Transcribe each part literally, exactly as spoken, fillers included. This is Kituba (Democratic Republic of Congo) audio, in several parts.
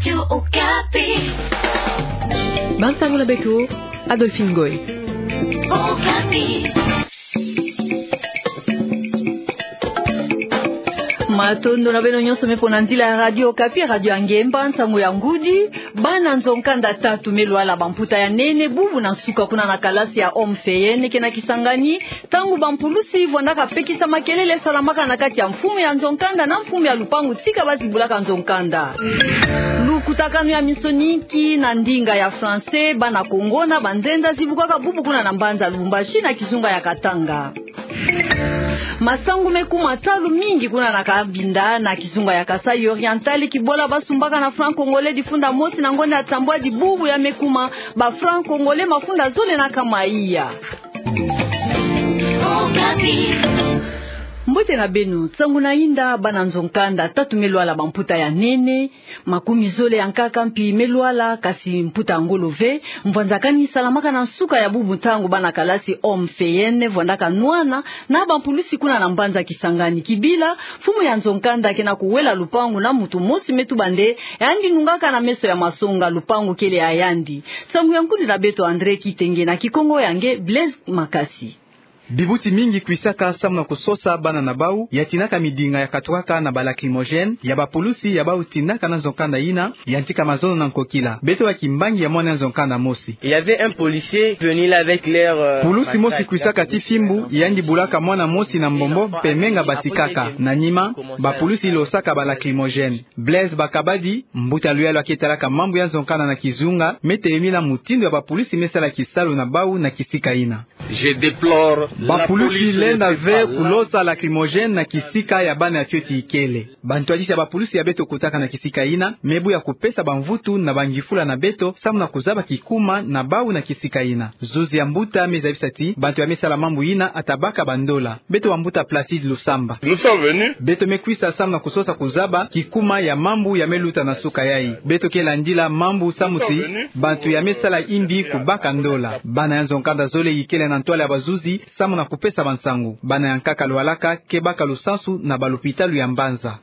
Radio Okapi. Bansango na beto, Adolphine Ngoy. Okapi. Matondo na beno nyonso me pona nzila ya Radio Okapi, radio ya ngemba, nsangu ya ngudi. Bana nzo-nkanda tatu me lwala bamputa ya nene bubu na nsuka kuna na kalasi ya Homme Feyene ke na Kisangani, ntangu bampulusi vwandaka pekisa makelele salamaka na kati ya mfumu ya nzo-nkanda na mfumu ya lupangu tika bazibulaka nzo-nkanda. Lukutakanu ya minsoni inki na ndinga ya français, bana Kongo na banzenza zibukaka bubu kuna na mbanza Lubumbashi na kizunga ya Katanga. Masangu me kuma talu mingi kuna na Cabinda na kizunga ya Kasaï Oriental, kibula basumbaka na franc congolais difunda mosi na ngonda ya nsambwadi bubu ya me kuma ba franc congolais mafunda zole na nkama iya. Mbote na beno, nsangu na inda, bana nzo-nkanda tatu me lwala bamputa ya nene, makumi zole ya nkaka mpi me lwala, kasi mputa ya ngolo ve. Mvwanzakani salamaka na nsuka ya bubu ntangu bana kalasi Homme Feyene vwandaka nwana na bampulusi kuna na mbanza Kisangani. Kibila, mfumu ya nzo-nkanda ke na kuwela lupangu na muntu mosi me tuba nde yandi nungaka na meso ya masonga, lupangu kele ya yandi. Nsangu ya nkundi na beto André Kitenge na Kikongo ya nge Blaise Makasi. Bibuti mingi kwisaka samu na kusosa bana na bau, ya tinaka midinga ya katukaka na ba lacrymogène ya bapulusi ya bau tinaka na nzo-nkanda ina, ya ntika mazono na nkokila. Beto wa kimbangi ya mwana nzo-nkanda mosi. Il y avait un policier venu là avec leur, euh, matraque. Pulusi mosi kwisaka ti fimbu, yandi bulaka mwana mosi na mbombo mpe menga batikaka. Na nima, bapulusi losaka ba lacrymogène. Blaise Bakabadi, mbuta luyalu ya ke talaka mambu ya nzo-nkanda na kizunga, me telemina mutindu ya bapulusi me sala kisalu na bau na kisika ina. Je déplore. Bapulusi lenda ve kulosa lacrymogène na kisika ya bana ya fioti ikele. Bantwadisi ya bapulusi ya beto kotaka na kisika ina, me bu ya kupesa bamvutu na bangifula na beto, samu na kuzaba kikuma na bau na kisika ina. Zuzi ya mbuta me zabisa ti bantu ya me sala mambu ina ata baka bandola. Beto wa mbuta Placide Lusamba. Nous sommes venus. Beto me kwisa samu na kusosa kuzaba kikuma ya mambu ya me luta na suka yai. Beto ke landila mambu samu ti bantu ya me sala imbi kubaka ndola. Bana ya nzo-nkanda zole ikele na ntwala ya bazuzi samu na kupesa bansangu. Bana ya nkaka lwalaka ke baka lusansu na balupitalu ya mbanza.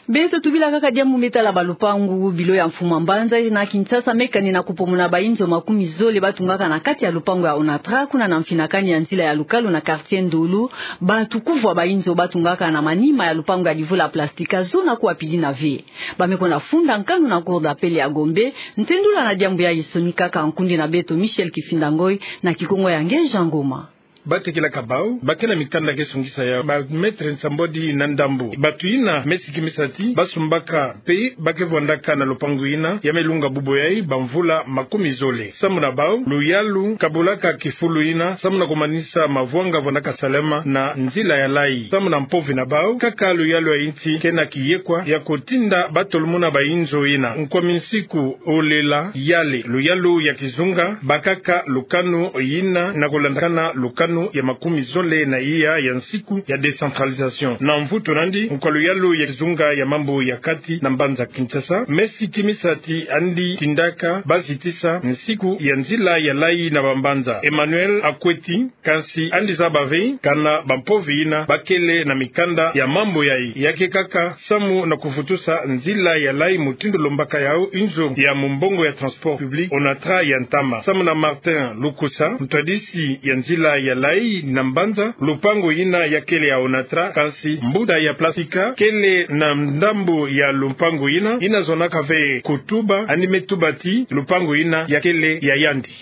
Beto tubila kaka diambu me tala balupangu, bilo ya mfumu ya mbanza na Kinshasa me kani na kupomona bainzo makumi zole batungaka na kati ya lupangu ya Onatra, kuna na mfinakani ya nzila ya lukalu na quartier Ndulu. Batu kuvwa bainzo batungaka na manima ya lupangu ya divula plastika zona kuwa pidi na ve. Ba me kwenda funda nkanu na cour d'appel ya Gombe. Ntendula na diambu yai sonikaka nkundi na beto Michel Kifinda Ngoy na Kikongo ya nge Jean Ngoma. Batekelaka bau, ba ke na mikanda ke sungisa ya ba mètre nsambwadi na ndambu. Batu ina me sikimisa ti basumbaka mpe ba ke vwandaka na lupangu ina ya me lunga bubu yai bamvula makumi zole. Samu na bau, luyalu ka bulaka kifulu ina samu na kumanisa mavwanga vwandaka salama na nzila ya lai. Samu na mpovi na bau, kaka luyalu ya insi ke na kiyekwa ya kutinda ba tolomona bainzo ina. Nkwa minsiku olela yale, luyalu ya kizunga bakaka lukanu ina na kulandakana lukanu ya makumi zole na iya ya nsiku ya décentralisation. Na mvutu nandi, nkwa luyalu ya kizunga ya mambu ya kati na mbanza Kinshasa me sikimisa ti andi tindaka ba zitisa nsiku ya nzila ya lai na bambanza. Emmanuel Akweti, kansi andi zaba ve kana bampovi ina ba kele na mikanda ya mambu yai. Ya ke kaka samu na kuvutusa nzila ya lai mutindu lombaka yau inzo ya mumbongo ya transport public Onatra ya ntama. Samu na Martin Lukusa, ntwadisi ya nzila ya lai na mbanza, lupangu ina ya kele ya Onatra, kansi mbuta ya plastika kele na ndambu ya lupangu ina, ina zonaka ve kutuba, andi me tuba ti lupangu ina ya kele ya yandi.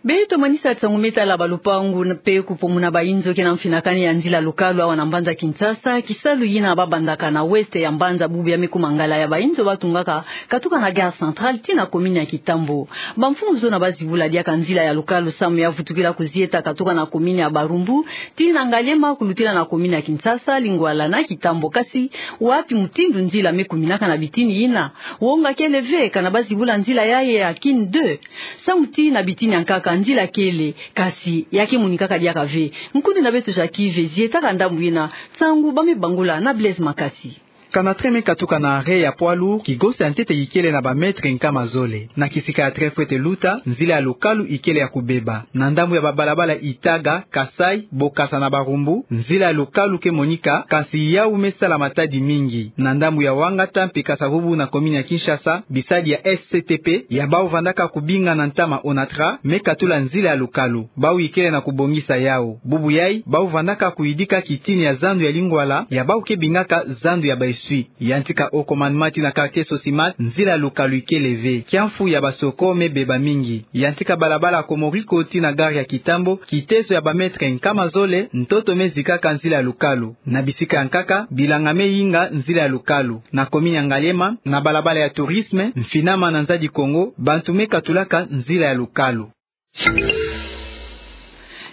Beto manisa nsangu me tala balupangu mpe kupomona bainzo ke na mfinakani ya nzila lukalu awa na mbanza Kinshasa. Kisalu ina ba bandaka na ouest ya mbanza bubu ya me kuma ngala ya bainzo batungaka katuka na gare centrale tii na commune ya Kitambo. Bamfumu zona ba zibula diaka nzila ya lukalu samu ya vutukila kuzieta katuka na commune ya Barumbu tii na Ngaliema kulutila na commune ya Kinshasa, Lingwala na Kitambo. Kasi wapi mutindu nzila me kuminaka na bitini ina? Wonga kele ve kana ba zibula nzila yai ya Kin deux. Samu tii na bitini ya nkaka nzila kele, kasi ya ke monikaka diaka ve. Nkundi na beto Jacques Yves zietaka ndambu ina, nsangu ba me bangula na Blaise Makasi. Kana train me katuka na arrêt ya poids lourd, kigosa ya ntete ikele na ba mètres nkama zole. Na kisika ya train fwete luta, nzila ya lukalu ikele ya kubeba. Na ndambu ya ba balabala Itaga, Kasaï, Bokassa na Barumbu, nzila ya lukalu ke monika, kasi yawu me sala matadi mingi. Na ndambu ya Wangata mpe Kasa-Vubu na commune ya Kinshasa, bisadi ya S C T P, ya bawu vandaka kubinga na ntama ONATRA, me katula nzila ya lukalu. Bawu ikele na kubongisa yawu. Bubu yayi, bawu vandaka kuyidika kitini ya zandu ya lingwala, ya bawu ke bingaka zandu ya ba essuie. Yantika Haut Commandement tii na quartier Sosimat, nzila ya lukalu ikele ve. Kiamfu ya Basoko me beba mingi. Yantika balabala Komoriko tii na gare ya Kitambo, kitezo ya ba mètres nkama zole, ntoto me zikaka nzila ya lukalu. Na bisika ya nkaka, bilanga me yinga nzila ya lukalu. Na commune ya Ngaliema, na balabala ya Tourisme, Mfinama na Nzadi Kongo, bantu me katulaka nzila ya lukalu.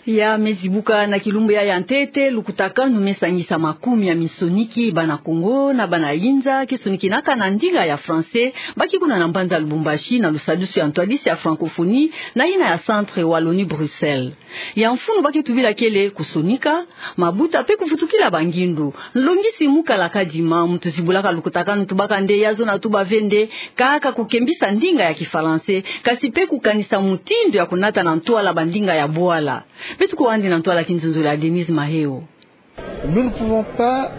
Ya me zibuka na kilumbu ya ya ntete, lukutakanu me sangisa makumia minsoniki bana Kongo na bana yinza, ke sonikinaka na ndinga ya français, baki kuna na mbanza Lubumbashi na lusadusu ya ntwadisi ya francophonie, na yina ya Centre Wallonie-Bruxelles. Ya mfunu ba ke tubila kele kusonika, mabuta mpe kuvutukila bangindu. Nlongisi Mukala Kadima, muntu zibulaka lukutakanu, tubaka nde ya zona tuba ve nde, kaka kukembisa ndinga ya Kifalanse, kasi mpe kukanisa mutindu ya kunata na ntwala bandinga ya bwala. Beto kwandi na ntwala kinzonzolo ya Denise Maheo. Nous ne pouvons pas,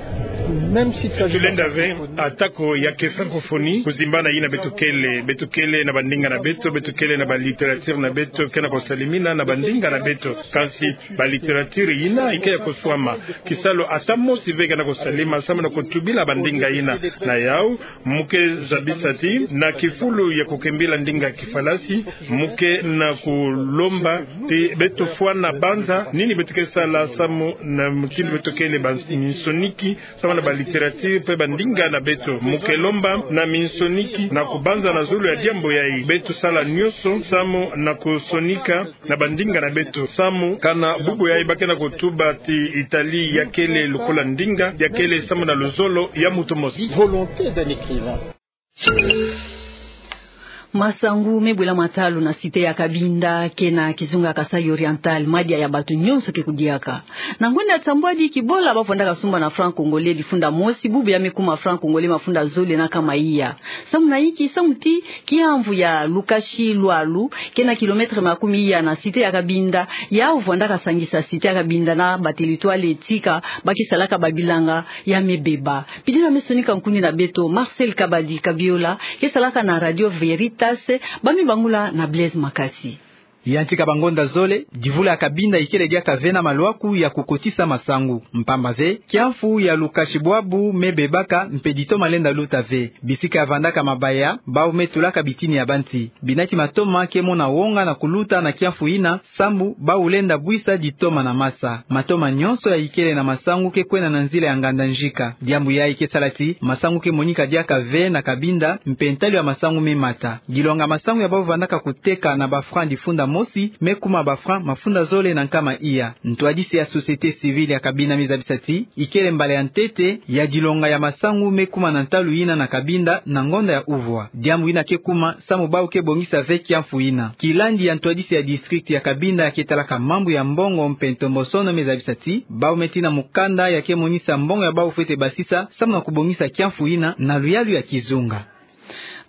même s'il s'agit de... Tulenda ve, atako ya ke francophonie, kuzimbana yina beto kele, beto kele na bandinga na beto, beto kele na ba littérature na beto, ke na kusalimina na bandinga na beto. Kansi ba littérature yina ike ya kuswama. Kisalu ata mosi ve ke na kusalema samu na kutubila bandinga yina. Na yawu, mu ke zabisa ti, na kifulu ya kukembila ndinga Kifalanse, mu ke na kulomba ti beto fwana banza nini beto ke sala samu na mutindu beto kele ba minsoniki, samu na ba littérature mpe bandinga na beto. Mu ke lomba na minsoniki na kubanza na zulu ya diambu yayi. Beto sala nyonso samu na kusonika na bandinga na beto. Samu kana bubu yayi ba ke na kutuba ti Italie ya kele lokola ndinga, ya kele samu na luzolo ya muntu mosi. Volonté d'un écrivain. Masangu me bwela matalu na cité ya Cabinda, ke na kizunga Kasaï Oriental, madia ya bato nyonso ke kudiaka. Na ngonda ya nsambwadi, kibola ba vandaka sumba na franc congolais difunda mosi, bubu ya me kuma franc congolais mafunda zole na nkama iya. Samu na inki? Samu ti kiamvu ya Lukashi Lwalu, ke na kilomètre makumi iya na cité ya Cabinda, yawu vandaka sangisa cité ya Cabinda na ba territoire tika ba ke salaka ba bilanga, ya me beba. Pidina me sonika nkundi na beto, Marcel Kabadi Kabiola, ke salaka na Radio Veritas, ba me bangula na Blaise Makasi. Yantika bangonda zole, divula ya Cabinda ikele diaka ve na malwaku ya kukotisa masangu. Mpamba ve, kiamvu ya Lukashi bwabu me bebaka, mpe ditoma lenda luta ve. Bisika ya vandaka mabaya, bawu me tulaka bitini ya banti. Binati matoma ke mona wonga na kuluta na kiamvu yina, samu bawu lenda bwisa ditoma na masa. Matoma nyonso ya ikele na masangu ke kwenda na nzila ya Nganda Njika. Diambu yayi ke sala ti masangu ke monika diaka ve na Cabinda, mpe ntalu ya masangu me mata. Dilonga masangu ya bawu vandaka kuteka na ba franc difunda mosi, me kuma ba franc mafunda zole na nkama iya. Ntwadisi ya société civile ya Cabinda me zabisa ti ikele mbala ya ntete ya dilonga ya masangu me kuma na ntalu yina na Cabinda na ngonda ya uvwa. Diambu yina ke kuma samu bawu ke bongisa ve kiamvu yina. Kilandi ya ntwadisi ya district ya Cabinda ya ke talaka mambu ya mbongo mpe ntombosono me zabisa ti bawu me tina mukanda ya ke monisa mbongo ya bawu fwete basisa samu na kubongisa kiamvu yina na luyalu ya kizunga.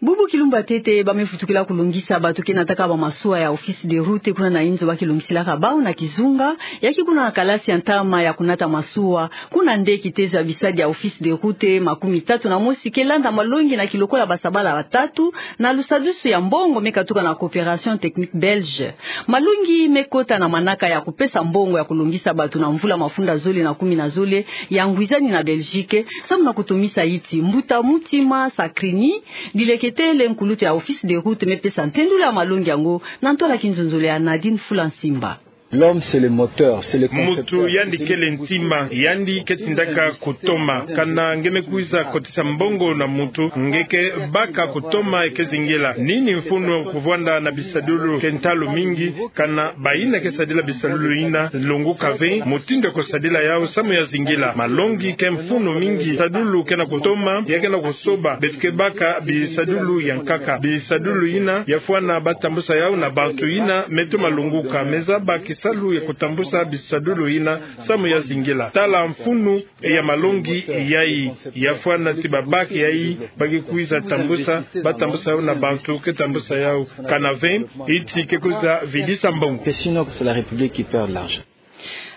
Bubu kilumbu ya ntete, ba me vutukila kulongisa bato ke nataka ba masuwa ya Office des Routes, kuna na inzo ba ke longisilaka bawu na kizunga, ya ke kuna na kalasi ya ntama ya kunata masuwa, kuna nde kitezo ya bisadi ya Office des Routes makumi tatu na mosi ke landa malongi na kilokola ba sabala batatu, na lusadusu ya mbongo me katuka na Coopération Technique Belge. Malongi me kota na manaka ya kupesa mbongo ya kulongisa bato na mvula mafunda zole na kumi na zole, ya ngwizani na Belgique, samu na kutomisa yiti mbuta Mutima Sakrini, dileketele nkulutu ya Office des Routes, me pesa ntendula ya malongi yango na ntwala kinzonzolo ya Nadine Fula Nsimba. L'homme, c'est le moteur, c'est le concepteur. Mutu yandi kele ntima, yandi ke tindaka kutoma. Kana nge me kwiza kotisa mbongo na mutu, nge ke baka kutoma e ke zingila. Nini mfunu kuvwanda na bisadulu ke ntalu mingi, kana bayina ke sadila bisadulu yina lunguka ve mutindu ya kusadila yawu samu ya zingila. Malongi ke mfunu mingi, bisadulu ke na kutoma, ya ke na kusoba, beto ke baka bisadulu ya nkaka. Bisadulu yina ya fwana ba tambusa yawu na bantu yina me toma lunguka, me zaba ki salu ya kutambusa bisadulu yina samu ya zingila. Tala mfunu ya malongi yayi, ya fwana ti ba bac yayi, ba ke kwiza tambusa, ba tambusa yau na bantu ke tambusa yau. Kana ve, iti ke kwiza vidisa mbongo. Sinon, c'est la République qui perd l'argent.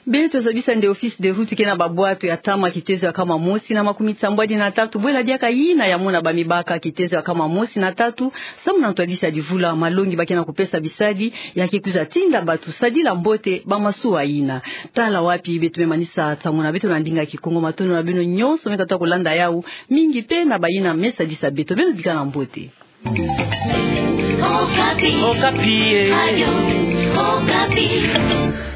Beto zabisa nde office de route ke na babwatu ya ntama kitezo ya nkama mosi na makumi sambwadi na tatu, bwela diaka yina ya mona ba mibaka kitezo ya nkama mosi na tatu, samu na ntwadisi ya divula, malongi ba ke na kupesa bisadi, ya ke kwiza tinda bantu sadila mbote ba masuwa yina. Tala wapi beto me manisa nsangu na beto na ndinga Kikongo. Matondo na beno nyonso me katuka kulanda yau, mingi pe na bayina me sadisa beto. Beno bikana mbote. Okapi. Okapi, eh. Radio Okapi.